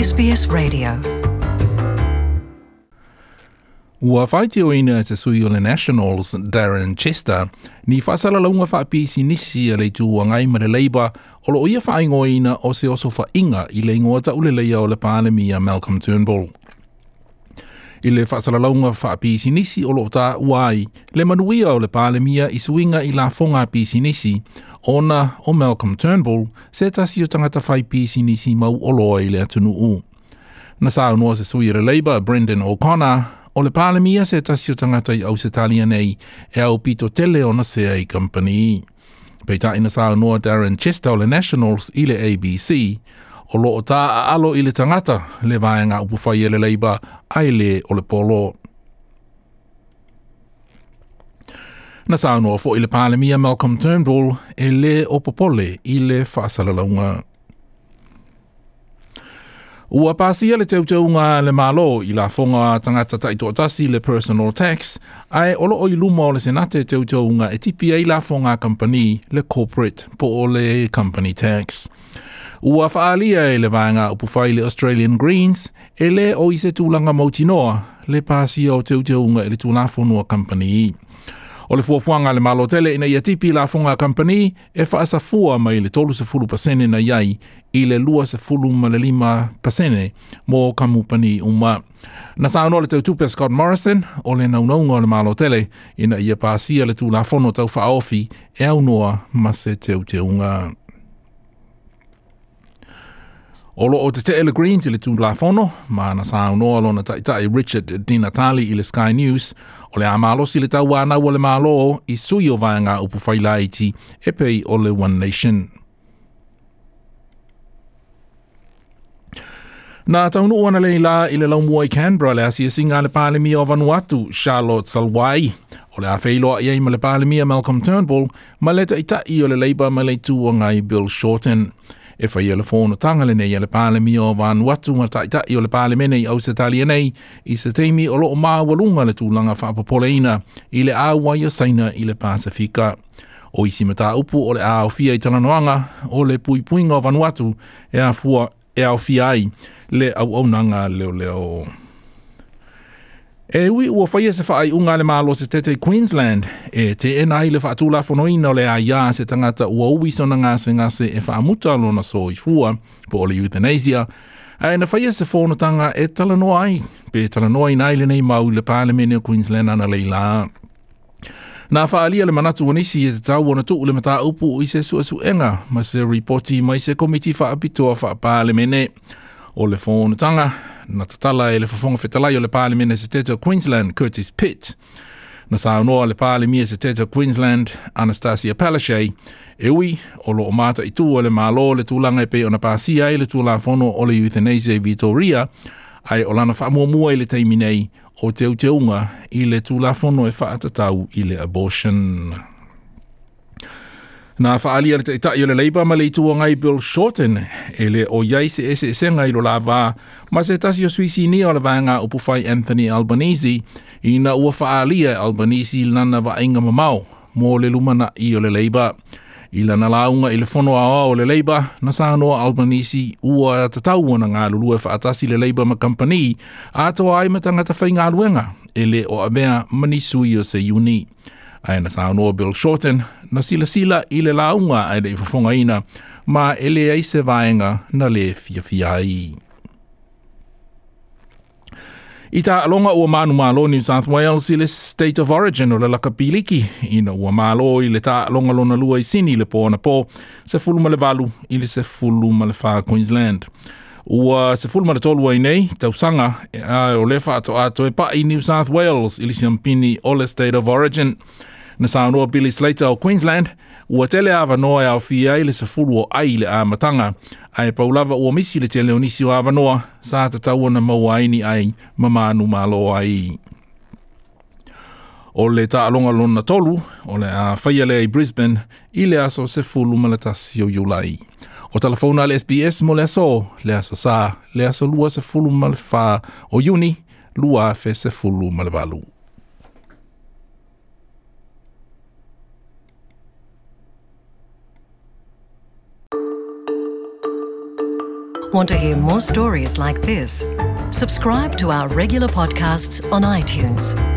SBS Radio. Ua faitioina e se sui o le Nationals, Darren Chester, ni faasalalauga faapisinisi a le Itu Agai ma le Labour o loo ia faaigoaina o se osofaʻiga i le igoa tauleleia o le Palemia Malcolm Turnbull. I le faasalalauga faapisinisi o loo taua ai le manuia o le Palemia i suiga i lafoga a pisinisi, ona o Malcolm Turnbull se tasi o tagata fai pisinisi mauoloa i le atunuu. Na saunoa se sui o le Labour, Brendan O'Connor, o le Palemia se tasi o tagata i Ausetalia nei e aupito tele ona sea i kamupani. Peitai na saunoa Darren Chester o le Nationals i le ABC, o loo taaalo i le tagata le vaega upufai a le Labour ae le o le polo. Na saunoa foi le Palemia Malcolm Turnbull e lē o popole i le faasalalauga. Ua pasia le teuteuga a le Malo i lafoga a tagata taitoatasi le personal tax, ae o loo i luma o le Senate teuteuga e tipi ai lafoga a kamupani le corporate po o le company tax. Ua faaalia e le vaega upufai le Australian Greens e lē o i se tulaga mautinoa le pasia o teuteuga i le Tulafono a Kamupani. O le fuafuaga a le Malo tele ina ia tipi lafoga a kamupani e faasafua mai le 30% na i ai i le 25% mo kamupani uma. Na saunoa le teutupe Scott Morrison o le naunauga o le Malo tele ina ia pasia le Tulafono Tau Faaofi e aunoa ma se teuteuga. O loo tetee le Greens i le Tulafono, ma na saunoa lona taitai Richard Di Natale i le Sky News, o le a malosi le tauanau a le Malo i sui o vaega upufai laiti e pei o le One Nation. Na taunuu analeila i le laumua i Canberra le asiasiga a le Palemia o Vanuatu, Charlotte Salwai. O le a feiloai ai ma le Palemia Malcolm Turnbull ma le taitai o le Labour ma le Itu Agai Bill Shorten. E faia le fonotaga lenei a le Palemia o Vanuatu ma taitai o le Palemene i Ausetalia nei i se taimi o loo maualuga le tulaga faapopoleina i le auai o Saina i le Pasefika. O isi mataupu o le a aofia i talanoaga o le puipuiga o Vanuatu e afua e aofia ai le auaunaga leoleo. E ui ua faia se faaiuga a le Malo Setete i Queensland e teena ai le faatulafonoina o le aia a se tagata ua ui sona gasegase e faamuta lona soifua po o le euthanasia, ae na faia se fonotaga e talanoa ai pe talanoaina ai lenei mau i le Palemene o Queensland analeila. Na faaalia le manatu o nisi e tatau ona tuu le mataupu i se suesuega ma se ripoti mai se komiti faapitoa faapalemene. O le fonotaga na tatala e le Fofoga Fetalai o le Palemene Setete o Queensland, Curtis Pitt. Na saunoa le Palemia Setete o Queensland, Anastasia Palaszczuk, e ui o loo mataitu e le Malo le tulaga e pei ona pasia ai le Tulafono o le Euthanasia i Victoria, ae o lana faamuamua i le taimi nei o teuteuga i le Tulafono e faatatau i le abortion. Na faaalia le taitai o le Labour ma le Itu Agai Bill Shorten e le o i ai se eseesega i lo la va ma se tasi o sui sinia o le vaega upufai Anthony Albanese ina ua faaalia e Albanese lana vaaiga mamao mo le lumanai o le Labour. I lana lauga i le fono aoao o le Labour, na saunoa Albanese ua tatau ona galulue faatasi le Labour ma kamupani atoa ai ma tagata faigaluega e le o avea ma ni sui o se iuni. Ae na saunoa Bill Shorten na silasila i le lauga ae le i fofogaina ma e leai se vaega na le fiafia ai. I taaloga ua manumalo New South Wales i le State of Origin o le lakapi liki ina ua malo i le taaloga lona lua i Sini le po anapo 18 i le 14 Queensland. Ua 13 ai nei tausaga a o le faatoa toe pai New South Wales i le siampini o le State of Origin. Na saunoa Billy Slater o Queensland ua tele avanoa e aofia ai le 10 o ai i le amataga, ae pau lava ua misi le tele o nisi o avanoa sa tatau ona maua ai ni ai ma manumalo ai. O le taaloga lona tolu o le a faia lea i Brisbane i le aso 11 o Iulai. O talafona a le SBS mo le aso, le aso Sa, le aso 24 o Iuni, 2018. Want to hear more stories like this? Subscribe to our regular podcasts on iTunes.